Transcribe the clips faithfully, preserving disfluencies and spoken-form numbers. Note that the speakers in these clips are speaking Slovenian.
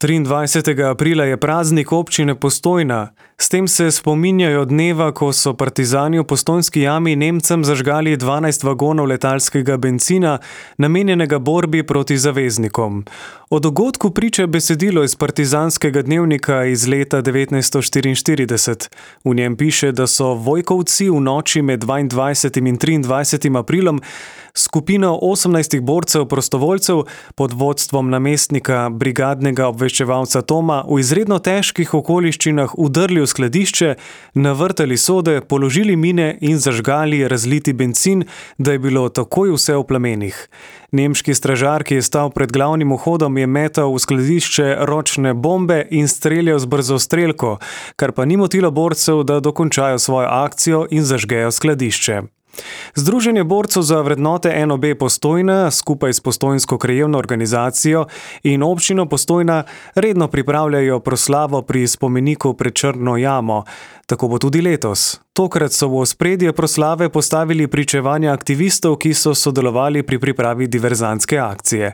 triindvajsetega aprila je praznik občine Postojna. S tem se spominjajo dneva, ko so partizani v Postojnski jami Nemcem zažgali dvanajst vagonov letalskega bencina, namenjenega borbi proti zaveznikom. O dogodku priča besedilo iz partizanskega dnevnika iz leta devetnajststo štiriinštirideset. V njem piše, da so Vojkovci v noči med dvaindvajsetim in triindvajsetim aprilom skupino osemnajstih borcev prostovoljcev pod vodstvom namestnika brigadnega obveščevalca Toma v izredno težkih okoliščinah vdrli v skladišče, navrtali sode, položili mine in zažgali razliti bencin, da je bilo takoj vse v plamenih. Nemški stražar, ki je stal pred glavnim vhodom, je metal v skladišče ročne bombe in streljal z brzostrelko, kar pa ni motilo borcev, da dokončajo svojo akcijo in zažgejo skladišče. Združenje borcev za vrednote N O B Postojna skupaj s Postojnsko krajevno organizacijo in občino Postojna redno pripravljajo proslavo pri spomeniku pred Črno jamo. Tako bo tudi letos. Tokrat so v ospredje proslave postavili pričevanja aktivistov, ki so sodelovali pri pripravi diverzantske akcije.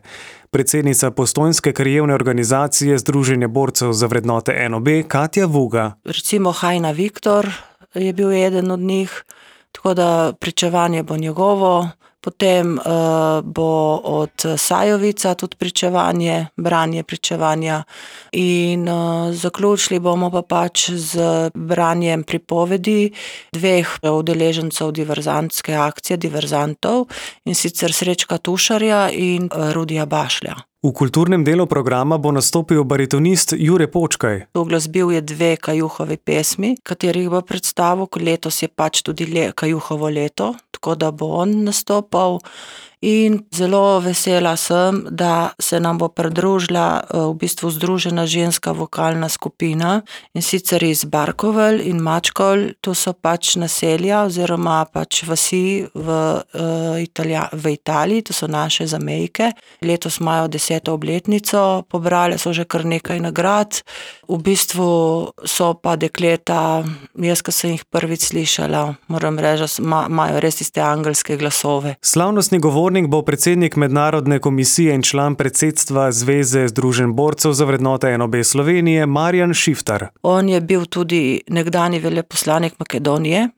Predsednica Postojnske krajevne organizacije Združenje borcev za vrednote N O B Katja Vuga. Recimo Hajna Viktor je bil eden od njih. Tako da pričevanje bo njegovo, potem uh, bo od Sajovica tudi pričevanje, branje pričevanja in uh, zaključili bomo pa pač z branjem pripovedi dveh udeležencev diverzantske akcije, diverzantov, in sicer Srečka Tušarja in uh, Rudija Bašlja. V kulturnem delu programa bo nastopil baritonist Jure Počkaj. Uglasbil je dve Kajuhovi pesmi, katerih bo predstavil, letos je pač tudi le, Kajuhovo leto, tako da bo on nastopal. In zelo vesela sem, da se nam bo pridružila v bistvu združena ženska vokalna skupina, in sicer iz Barkovelj in Mačkol, to so pač naselja oziroma pač vasi v, Italija, v Italiji, to so naše zamejke. Letos imajo deseto obletnico, pobrali so že kar nekaj nagrad. V bistvu so pa dekleta, jaz, ko sem jih prvič slišala, moram reči, imajo res tiste angelske glasove. Slavnostni govornik bo predsednik mednarodne komisije in član predsedstva Zveze združenj borcev za vrednote N O B Slovenije Marjan Šiftar. On je bil tudi nekdanji veleposlanik Makedonije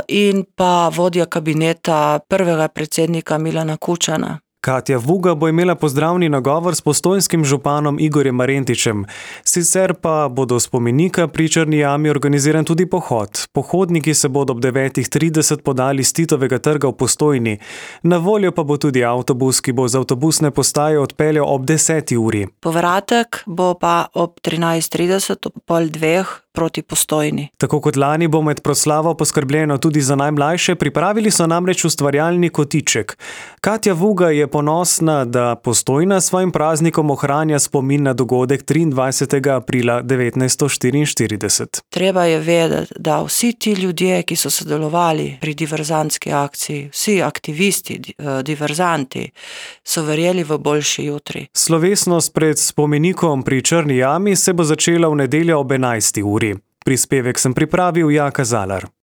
in pa vodja kabineta prvega predsednika Milana Kučana. Katja Vuga bo imela pozdravni nagovor s postojnskim županom Igorjem Marentičem. Sicer pa bodo spomenika pri Črni jami organiziran tudi pohod. Pohodniki se bodo ob devetih trideset podali s Titovega trga v Postojni. Na voljo pa bo tudi avtobus, ki bo z avtobusne postaje odpeljal ob deseti uri. Povratek bo pa ob trinajst trideset, ob pol dveh proti Postojni. Tako kot lani bo med proslavo poskrbljeno tudi za najmlajše, pripravili so namreč ustvarjalni kotiček. Katja Vuga je ponosna, da Postojna s svojim praznikom ohranja spomin na dogodek triindvajsetega aprila devetnajststo štiriinštirideset. Treba je vedeti, da vsi ti ljudje, ki so sodelovali pri diverzantski akciji, vsi aktivisti, diverzanti, so verjeli v boljši jutri. Slovesnost pred spomenikom pri Črni jami se bo začela v nedeljo ob enajsti uri. Prispevek sem pripravil Jaka Zalar.